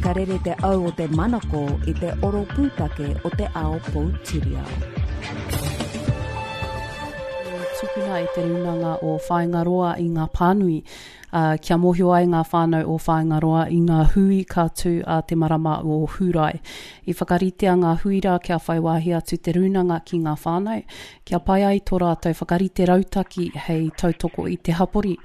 Ka rere te au o te manako i te oro pūtake o te ao poutiriao. Tukuna e Te Rūnanga o Whāingaroa i ngā pānui, ā, kia mōhio ai ngā whānau o Whāingaroa i ngā hui ka tū ā te marama o Hūrae. I whakaritea ngā hui rā kia whai wāhi atu te rūnanga ki ngā whānau, kia pai ai tō rātou whakarite rautaki hei tautoko i te hapori,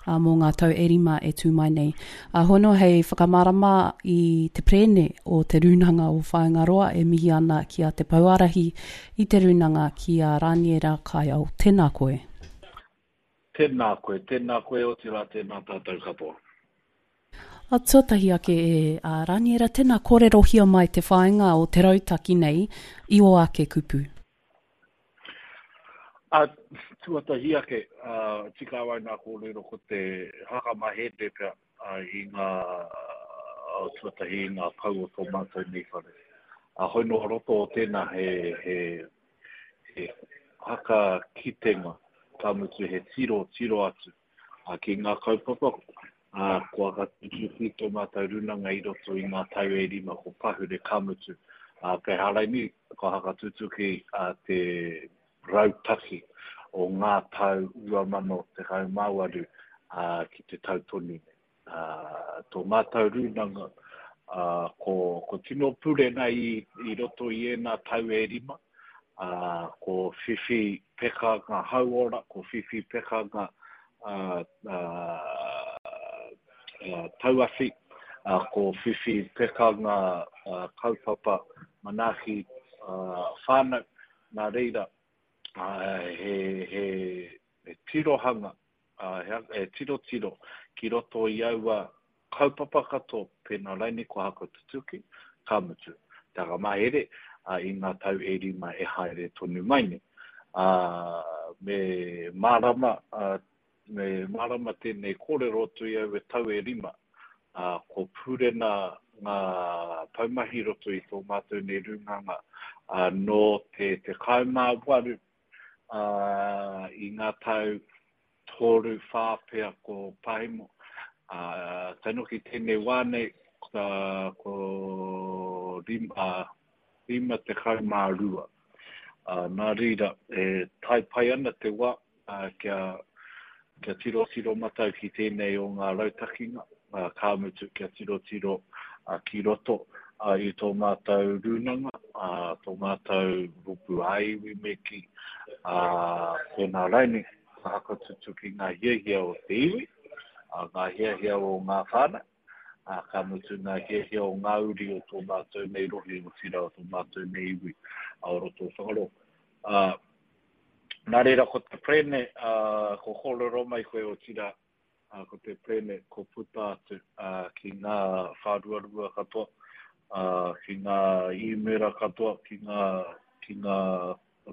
ā, mō ngā tau e rima e tū mai nei. Ā, hono hei whakamārama i te perēne o Te Rūnanga o Whāingaroa e mihi ana ki a Te Pouārahi i Te Rūnanga ki a Rāniera Kaiao. Tēnā koe. Tēnā koe, tēnā koe, otirā tēnā tātou katoa. Ā, tuatahi ake e a Rāniera, tēnā kōrerohia mai te whāinga o te rautaki nei i ō ake kupu. Ā, tuatahi ake, ā, tika au ai nā kōrero ko te whakamahere pea i ngā, tuatahi i ngā pou o tō mātou nei whare. Ā, hoi nō roto o tēnā he, he, he whakakitenga, ka mutu he tiro, tiro atu ki ngā kaupapa, ā, kua whakatutuki tō mātou rūnanga i roto i ngā tau e rima ko pahure, ka mutu, ā, kei Haraini kua whakatutuki te rautaki o ngā tau 2018 ki te tau tonu nei. Tō mātou rūnanga, ko, ko tino purena i, i roto i ēnā tau e rima, ko whiwhi pekanga hauora, ko whiwhi pekanga tauawhi, ko whiwhi pekanga kaupapa manaaki whānau, nā reira, he, he, he tirohanga he tirotiro ki roto i aua kaupapa katoa pēnā raini kua hakatutuki, ka mutu te whakamahere i ngā tau e rima e haere tonu mai nei. Me mārama, me mārama tēnei kōrero atu i aua tau e rima, ko Purena ngā poumahi i roto i tō mātou nei rūnanga nō te 18 ā, i ngā tau toru, whā pea ko Pahemo, ā, tae noa ki tēnei wā nei, ko rima, 52. Ā, nā reira, e tae pai ana te wā, ā, kia, kia tirotiro matau ki tēnei o ngā rautakinga, ā, ka mutu kia tirotiro ki roto i tō mātou rūnanga, ā, tō mātou rōpū ā-iwi me kī, ā, tēnā raini, ka whakatutuki ngā hiahia o te iwi, ā, ngā hiahia o ngā whānau, ā, ka mutu ngā hiahia o ngā uri o tō mātou nei rohe, otirā o tō mātou nei iwi, ā, o roto o Whangaroa. Ā, nā reira ko te perene, ā, ko kōrero mai koe, otirā, ā, ko te perene ko puta atu ki ngā whāruarua katoa, ā, ki ngā īmēra katoa, ki ngā, ki ngā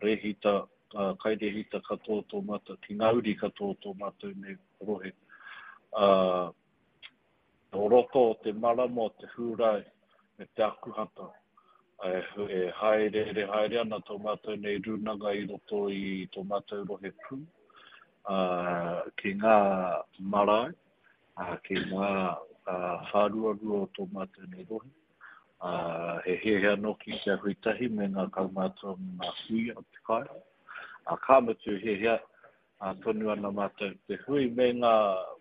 rēhita, ā, kairēhita katoa o tō mātou, ki ngā uri katoa o tō mātou nei rohe. Ā, o roto o te marama o te Hūrae me te Akuhata, e hāereere haere ana tō mātou nei rūnanga i roto i tō mātou rohe pū, ā, ki ngā marae, ā, ki ngā whāruarua o tō mātou nei rohe. Ā, he hiahia nōki kia hui tahi me ngā kaumātua me ngā kuia o te kāinga. Ā, ka mutu hiahia tonu ana mātou te hui me ngā,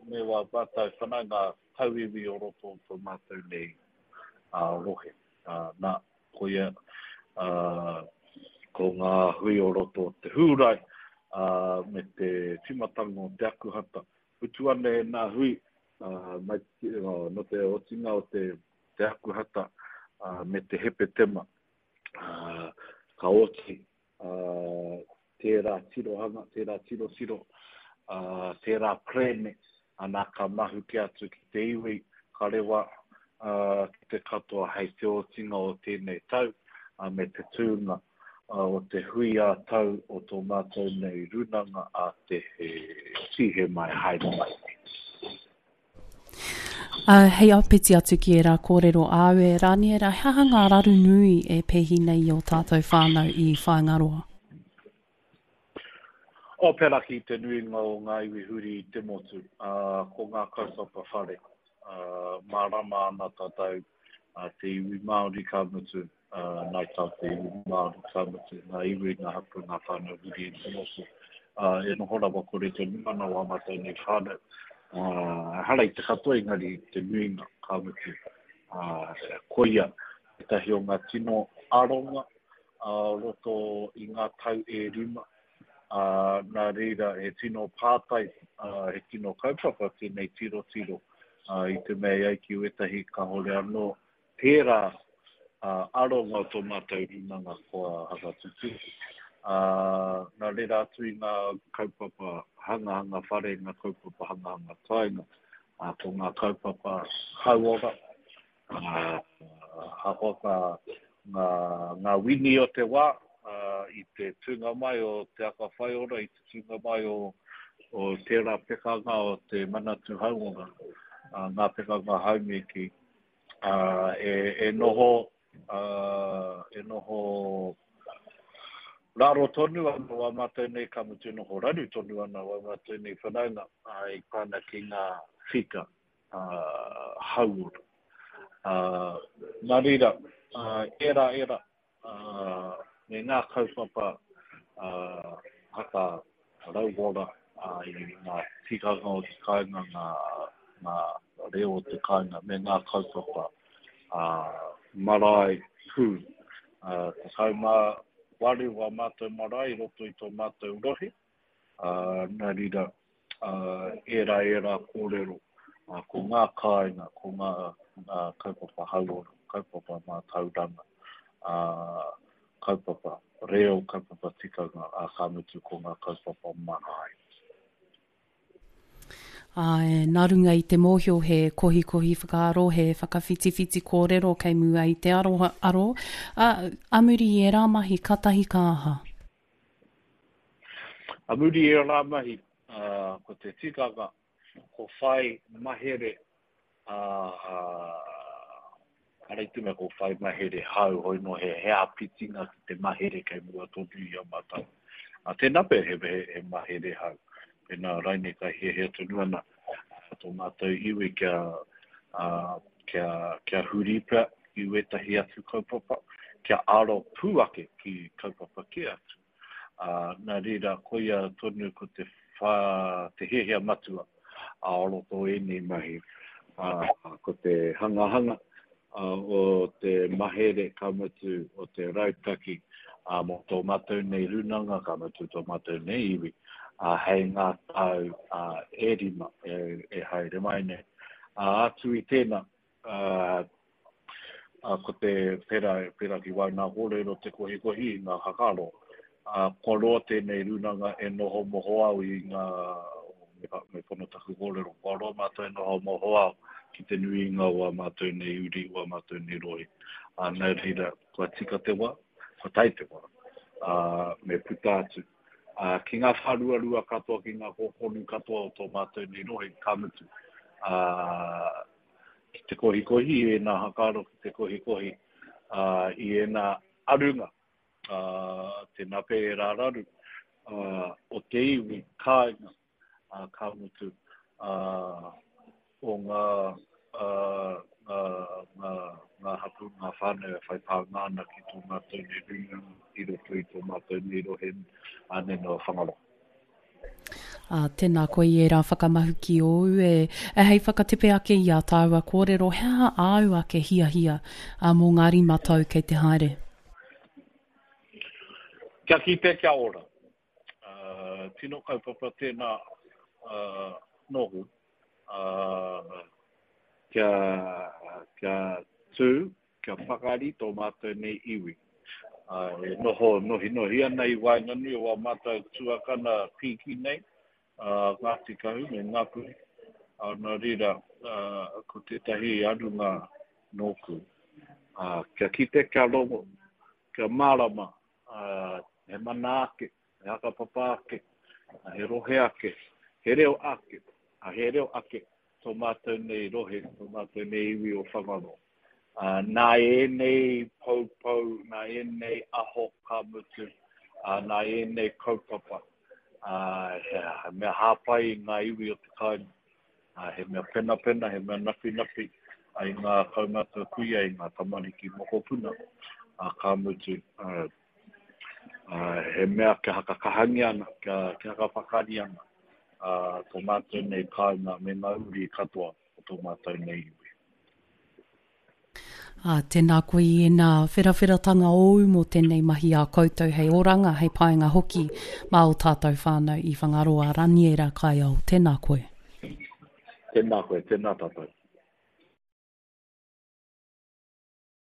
me wā mātou whanaunga tauiwi o roto o tō mātou nei rohe. Nā, koia, ko ngā hui o roto o te Hūrae, me te tīmatanga o te Akuhata. Mutu ana ēnā hui, mai, nō te otinga o te, te Akuhata, me te Hepetema, ka oti tērā tirohanga, tērā tirotiro, tērā perēne, ana ka mahuki atu ki te iwi, ka rewa ki te katoa hei te otinga o tēnei tau me te tūnga o te hui ā-tau o tō mātou nei rūnanga a te Tīhema e haere mai nei. Ā, hei āpiti atu ki ērā kōrero āu e Rāniera, he aha ngā raru nui e pēhi nei i ō tātou whānau i Whāingaroa? O pērā ki te nuinga o ngā iwi huri i te motu, ā, ko ngā kaupapa whare, ā, mārama ana tātou. te iwi Māori ka mutu, Ngāi Tahu te iwi Māori ka mutu, ngā iwi, ngā hapū, ngā whānau huri i te motu. E noho rawa kore tonu ana wā mātou nei whānau. Ehara i te katoa engari te nuinga ka mutu. Koia tētahi o ngā tino aronga o roto i ngā tau e rima, ā, nā reira he tino pātai, ā, he tino kaupapa tēnei tirotiro, ā, i te mea e ai ki wētahi kāore anō tērā, ā, aronga o tō mātou rūnanga kua whakatutuki. Ā, nā reira atu i ngā kaupapa hangahanga whare, ngā kaupapa hangahanga kāinga, ā, ko ngā kaupapa hauora, Ahakoa ka ngā wini o te wā, i te tūnga mai o Te Aka Whaiora, i te tūnga mai o tērā pekanga o te Manatū Hauora, ngā pekanga haumēki, e noho, e noho raro tonu ana wā mātou nei, ka mutu noho raru tonu ana wā mātou nei whanaunga i pā ana ki ngā whika. hauora. Nā reira, ērā, ērā, me ngā kaupapa haka rauora i ngā tikanga o te kāinga, ngā, ngā reo o te kāinga, me ngā kaupapa marae pū. 18 wā mātou marae i roto i tō mātou rohe, Nā reira, ērā, ērā kōrero, ko ngā kāinga, ko ngā kaupapa hauora, kaupapa mātauranga, kaupapa reo, kaupapa tikanga, ā, ka mutu ko ngā kaupapa marae. Āe, nā runga i te mōhio he kohikohi whakaaro, he whakawhitiwhiti kōrero kei mua i te aro, aro, ā, ā muri i ērā mahi, kātahi ka aha? A muri i ērā mahi, ko te tikanga, ko whai mahere, ehara i te mea ko whai mahere hou, hoi nō he āpitinga ki te mahere kei mua tonu i a mātou. Tēnā pea he mahere hou, pēnā raine ka hiahia tonu ana tō mātou iwi kia, kia, kia huri pea ki wētahi atu kaupapa, kia aro pū ake ki kaupapa kē atu. Ā, nā reira, koia tonu ko te whā, te hiahia matua ā roto o ēnei mahi, ā, ko te hangahanga o te mahere, ka mutu, o te rautaki, ā, mō tō mātou nei rūnanga, ka mutu tō mātou nei iwi, ā, hei ngā tau, ā, e rima e, e haere mai nei. Ā, atu i tēnā, ā, ā, ko te, pērā, pērā ki wau nā kōrero te kohikohi i ngā whakaaro, ā, kua roa tēnei rūnanga e noho mohoao i ngā, me, me pono taku kōrero, kua roa mātou e noho mohoao ki te nuinga o ā mātou nei uri, o ā mātou nei rohe. Ā, nā reira, kua tika te wā, kua tae te wā, ā, me puta atu. Ā, ki ngā whāruarua katoa, ki ngā kōkōnu katoa o tō mātou nei rohe, ka mutu. Ā, ki te kohikohi i ēnā hakaaro, ki te kohikohi ā, i ēnā arunga, ā, tēnā pea ērā raru, ā, o te iwi kāinga, ā, ka mutu, ā, o ngā, ā, ngā, ngā, ngā hapū, ngā whānau e whai pānga ana ki tō mātou nei rūnanga i roto i tō mātou nei rohe, ā, nei noa Whangaroa. Ā, tēnā koe i ērā whakamahuki ōu e, e hei whakatepe ake i ā tāua kōrero, he aha āu ake hiahia, ā, mō ngā rima tau kei te haere? Kia kite, kia ora. Ā, tino kaupapa tēnā, ā, nōku, ā, kia, kia tū, kia pakari tō mātou nei iwi. Ā, e noho nohinohi ana i waenganui o ā mātou tuakana pīki nei, a Ngāti Kahu me Ngāpuhi. Ā, nā reira, ā, ko tētahi arunga nōku, ā, kia kite, kia rongo, kia mārama, ā, he mana ake, he hakapapa ake, he rohe ake, he reo ake, ā, he reo ake tō mātou nei rohe, tō mātou nei iwi o Whangaroa. Ā, nā ēnei poupou, nā ēnei aho ka mutu, ā, nā ēnei kaupapa, ā, he mea hāpai i ngā iwi o te kāinga, ā, he mea penapena, he mea napinapi, I ngā kaumātua kuia, i ngā tamariki mokopuna, ka mutu, he mea kia hakakahangia ana, kia, kia hakapakari ana tō mātou nei kāinga me ngā uri katoa o tō mātou nei iwi. Ā, tēnā koe i ēnā wherawheratanga ōu mō tēnei mahi a koutou hei oranga, hei painga hoki mā ō tātou whānau i Whangaroa, Raniera Kaiao, tēnā koe. Tēnā koe, tēnā tātou.